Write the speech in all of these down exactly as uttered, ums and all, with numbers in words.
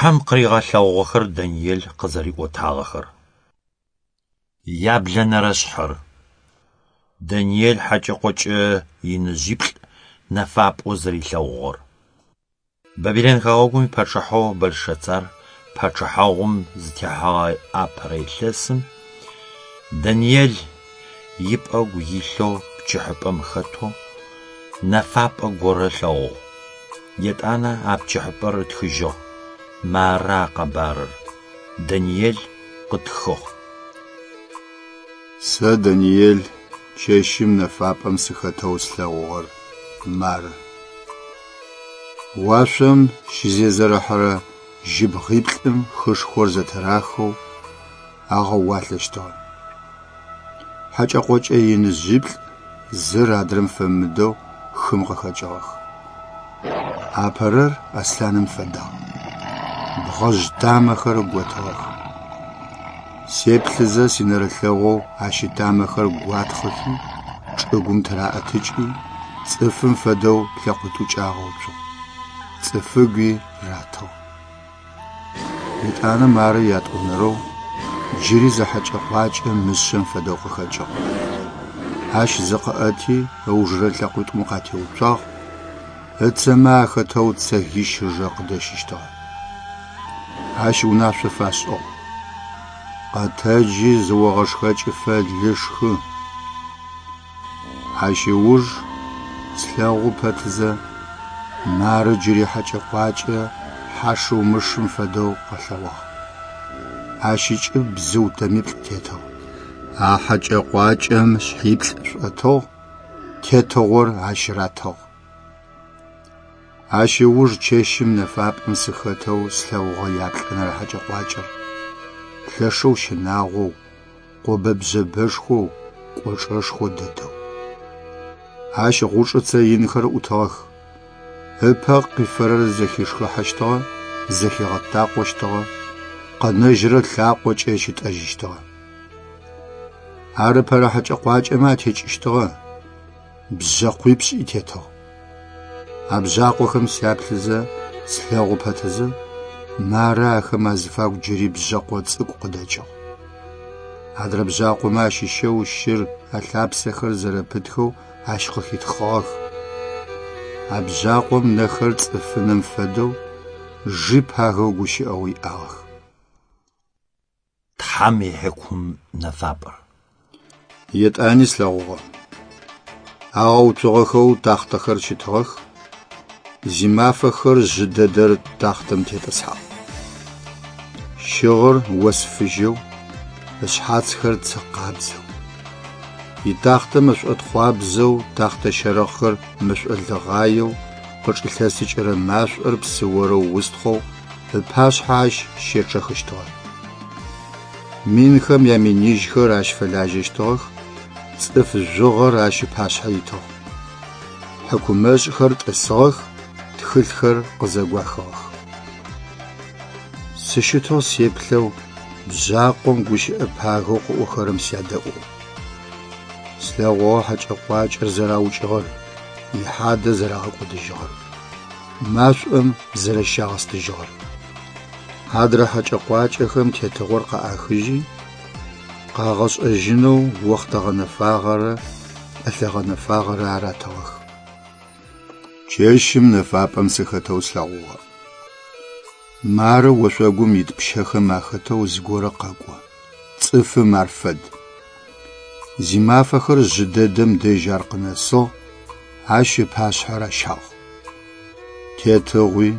Тхьэм къыригъэлъэгъугъэхэр Даниел къызэриӏотагъэхэр. Яблэнэрэ шъхьэр. Даниел хьэкӏэ-къокӏэ иныжъиплӏ нэфапӏэу зэрилъэгъугъэр. Бабилэн хэгъэгум ипачъыхьэу Бэлшэцар пачъыхьагъум зытехьэгъэ апэрэ илъэсым Даниел ипӏэгу илъэу пкӏыхьапӏэм хэтэу нэфапӏэ горэ ылъэгъугъ. Етӏанэ а пкӏыхьапӏэр ытхыжьыгъ. Мары а къэбарыр: Даниел къытхыгъ. Сэ, Даниел, чэщым нэфапӏэм сыхэтэу слъэгъугъэр мары. Уашъом щызезэрэхьэрэ жьыбгъиплӏым хышхор зэтырахэу агъэуалъэщтыгъэ. Хьэкӏэ-къокӏэ иныжъиплӏ зыр адрэм фэмыдэу хым къыхэкӏыгъэх. Апэрэр аслъаным фэдагъ, бгъэжъ тамэхэр готыгъэх. Сеплъызэ синэрылъэгъоу ащ итамэхэр гуатхъыхи, чӏыгум тыраӏэтыкӏи, цӏыфым фэдэу лъэкъуитӏукӏэ агъэуцугъ. Цӏыфыгуи ратыгъ. Етӏанэ мары ятӏонэрэу джыри зы хьэкӏэ-къуакӏэ мышъэм фэдэу къыхэкӏыгъ. Ащ зыкъыӏэти ыужырэ лъэкъуитӏум къатеуцуагъ, ыцэмэ ахэтэу цэгищ ыжэ къыдэщыщтыгъэ. Ащ унашъо фашӏыгъ: «Къэтэджи зыогъэшхэкӏыфэ лы шхы». Ащ ыуж слъэгъу пэтызэ мары джыри хьэкӏэ-къуакӏэ хьашыу-мышым фэдэу къэлъэгъуагъ. Ащ ыкӏыб бзыу тэмиплӏ тетыгъ. А хьэкӏэ-къуакӏэм шъхьиплӏ шӏотыгъ, тетыгъор ащ ратыгъ. Ащ ыуж чэщым нэфапӏэм сыхэтэу слъэгъугъэ яплӏэнэрэ хьэкӏэ-къуакӏэр. Лъэшэу щынагъоу, къобэ-бжъэбэшхоу, кӏочӏэшхо дэтэу. Ащ гъучӏыцэ инхэр ӏутыгъэх. Ыпэ къифэрэр зэхишхыхьэщтыгъэ, зэхигъэтакъощтыгъэ, къэнэжьырэр лъакъокӏэ щытӏэжьыщтыгъэ. Ар ыпэрэ хьэкӏэ-къуакӏэмэ атекӏыщтыгъэ, бжъэкъуипшӏи тетыгъ. А бжъакъохэм сяплъызэ, слъэгъу пэтызэ, мары ахэм азыфагу джыри бжъэкъо цӏыкӏу къыдэкӏыгъ. Адрэ бжъакъомэ ащыщэу щыр алъапсэхэр зэрэпытхэу ащ къыхитхъыгъэх. А бжъакъом нэхэр цӏыфынэм фэдэу жьы пагэу гущыӏэгъу иӏагъэх. Тхьэм ихьыкум нэфапӏэр. Етӏани слъэгъугъэ. Агъэуцугъэхэу тахътэхэр щытыгъэх, зимафэхэр жъы дэдэр тахътэм тетӏысхьагъ. Щыгъыр ос фыжьэу, ышъхьацхэр цы къабзэу. Итахътэ мэшӏотхъуабзэу, тахътэ щэрэхъхэр мэшӏолыгъаеу, къычӏилъэсыкӏырэ машӏор псыорэу устхъоу ыпашъхьэ ащ щечъэхыщтыгъэ. Минхэм яминижьхэр ащ фэлажьэщтыгъэх, цӏыф жъугъэр ащ ыпашъхьэ итыгъ. Хьыкумэшӏхэр тӏысыгъэх, тхылъхэр къызэгуахыгъэх. Сыщытэу сеплъэу бжъакъом гущыӏэ пагэу къыӏохэрэм сядэӏугъ. Слъэгъугъэ хьэкӏэ-къуакӏэр зэраукӏыгъэр, ихьадэ зэрагъэкӏодыжьыгъэр, машӏом зэрэщагъэстыжьыгъэр. Адрэ хьэкӏэ-къуакӏэхэм тетыгъор къаӏахыжьи, къагъэшӏэжьынэу охътэ гъэнэфагъэрэ пӏэлъэ гъэнэфагъэрэ аратыгъэх. Чэщым нэфапӏэм сыхэтэу слъэгъугъэ. Мары ошъогум ит пщэхэм ахэтэу зыгорэ къэкӏо. Цӏыфым ар фэд. Зимафэхэр жъы дэдэм дэжь ар къынэсыгъ, ащ ыпашъхьэ ращагъ. Тетыгъуи,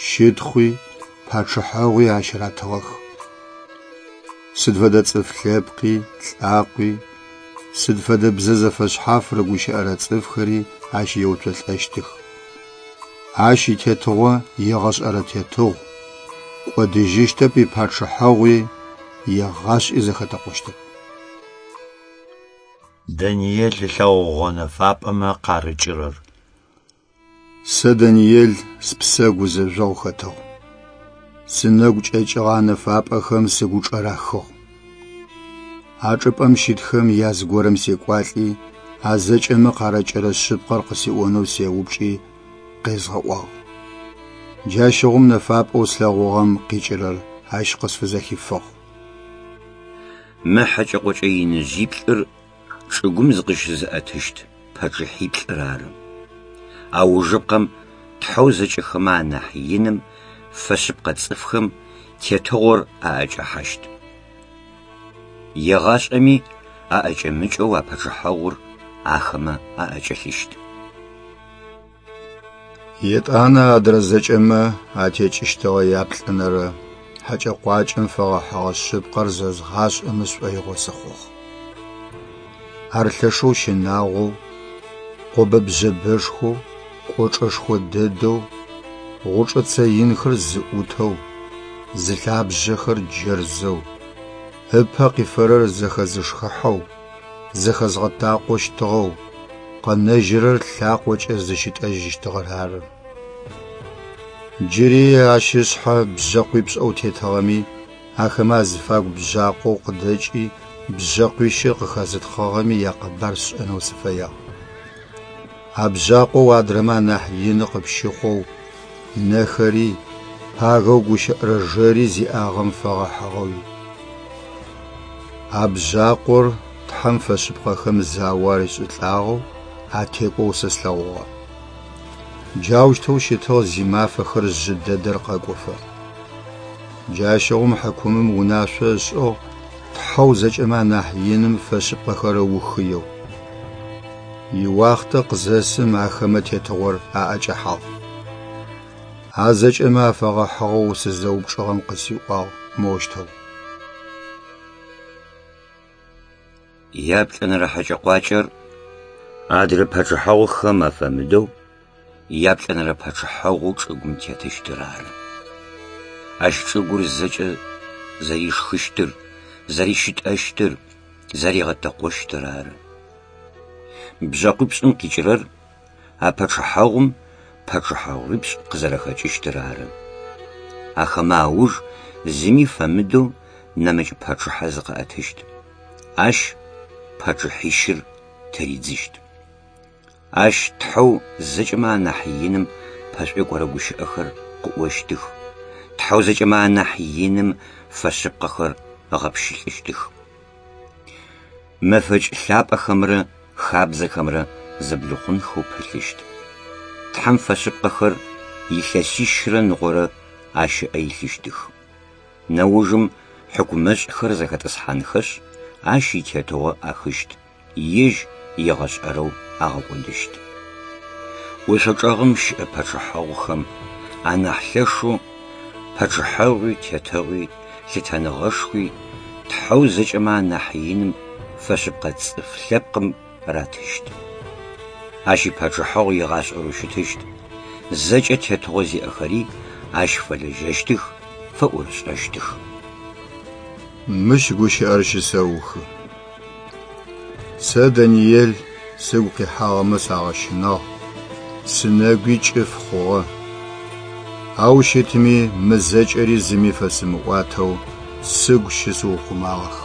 щытхъуи, пачъыхьэгъуи ащ ратыгъэх. Сыд фэдэ цӏыф лъэпкъи, лӏакъуи, сыд фэдэ бзэ зэфэшъхьаф рыгущыӏэрэ цӏыфхэри ащ еуцолӏэщтых. Ащ итетыгъо егъэшӏэрэ тетыгъу, кӏодыжьыщтэп ипачъыхьэгъуи, егъашӏи зэхэтэкъощтэп. Даниел ылъэгъугъэ нэфапӏэмэ къарыкӏырэр. Сэ, Даниел, спсэ гузэжъогъу хэтыгъ. Сынэгу кӏэкӏыгъэ нэфапӏэхэм сыгучӏэрахыгъ. А чӏыпӏэм щытхэм яз горэм секӏуалӏи, а зэкӏэмэ къарыкӏырэ шъыпкъэр къысиӏонэу сеупчӏи, къезгъэӏуагъ. Джащыгъум нэфапӏэу слъэгъугъэм къикӏырэр ащ къысфызэхифыгъ. Мы хьэкӏэ-къокӏэ иныжъиплӏыр чӏыгум зыкъыщызыӏэтыщт пачъыхьиплӏыр ары. Аужыпкъэм Тхьэу зэкӏэхэмэ анахь иным фэшъыпкъэ цӏыфхэм тетыгъор аӏэкӏэхьащт. Егъашӏэми аӏэкӏэмыкӏэу а пачъыхьэгъур ахэмэ аӏэкӏэлъыщт. Етӏанэ адрэ зэкӏэмэ атекӏыщтыгъэ яплӏэнэрэ хьэкӏэ-къуакӏэм фэгъэхьыгъэ шъыпкъэр зэзгъашӏэмэ сшӏоигъо сыхъугъ. Ар лъэшэу щынагъоу, къобэ-бжъэбэшхоу, кӏочӏэшхо дэдэу, гъучӏыцэ инхэр зыӏутэу, зылъабжъэхэр джэрзэу, ыпэ къифэрэр зэхэзышхыхьэу, зэхэзгъэтакъощтыгъэу, къэнэжьырэр лъакъокӏэ зыщитӏэжьыщтыгъэр ары. Джыри ащ ышъхьэ бжъэкъуипшӏэу тетыгъэми, ахэмэ азыфагу бжъакъоу къыдэкӏи бжъэкъуищыр къыхэзытхъыгъэми якъэбар сшӏэнэу сыфэягъ. А бжъакъоу адрэмэ анахь ины къыпщыхъоу, нэхэри, пагэу гущыӏэрэ жэри зиӏагъэм фэгъэхьыгъэуи. А бжъакъор Тхьэм фэшъыпкъэхэм зао аришӏылӏагъэу атекӏоу сэ слъэгъугъэ. Джаущтэу щытыгъ зимафэхэр жъы дэдэр къэкӏофэ. Джащыгъум хьыкумым унашъо ышӏыгъ Тхьэу зэкӏэмэ анахь иным фэшъыпкъэхэр ыухыеу. Иуахътэ къызэсым ахэмэ тетыгъор аӏэкӏэхьагъ. А зэкӏэмэ афэгъэхьыгъэу сызэупчӏыгъэм къысиӏуагъ моущтэу. Яплӏэнэрэ хьэкӏэ-къуакӏэр адрэ пачъыхьэгъухэм афэмыдэу яплӏэнэрэ пачъыхьэгъоу чӏыгум тетыщтыр ары. Ащ чӏыгур зэкӏэ зэришхыщтыр, зэрищытӏэщтыр, зэригъэтэкъощтыр ары. Бжъэкъуипшӏым къикӏырэр а пачъыхьэгъум пачъыхьэгъуипшӏ къызэрэхэкӏыщтыр ары. Ахэмэ ауж зыми фэмыдэу нэмыкӏ пачъыхьэ зыкъыӏэтыщт. Ащ пачъыхьищыр тыридзыщт. Ащ Тхьэу зэкӏэмэ анахь иным пэшӏуекӏорэ гущыӏэхэр къыӏощтых. Тхьэу зэкӏэмэ анахь иным фэшъыпкъэхэр ыгъэпщылӏыщтых. Мэфэкӏ лъапӏэхэмрэ хабзэхэмрэ зэблихъунхэу пылъыщт. Тхьэм фэшъыпкъэхэр илъэсищрэ ныкъорэ ащ ыӏэ илъыщтых. Нэужым хьыкумэшӏхэр зэхэтӏысхьанхэшъ, ащ итетыгъо ӏахыщт, ежь егъэшӏэрэу агъэкӏодыщт. Ошъо чӏэгъым щыӏэ пачъыхьэгъухэм анахь лъэшэу пачъыхьэгъуи, тетыгъуи, лъытэныгъэшхуи, Тхьэу зэкӏэмэ анахь иным фэшъыпкъэ цӏыф лъэпкъым ратыщт. Ащ ипачъыхьэгъу егъашӏэрэу щытыщт, зэкӏэ тетыгъо зиӏэхэри ащ фэлэжьэщтых, фэӏорышӏэщтых. Мыщ гущыӏэр щысэухы. Сэ, Даниел, сыгу къихьагъэмэ сагъэщынагъ, сынэгуи кӏыф хъугъэ. Ау щытми мы зэкӏэри зыми фэсымыӏуатэу сыгу щысыухъумагъэх.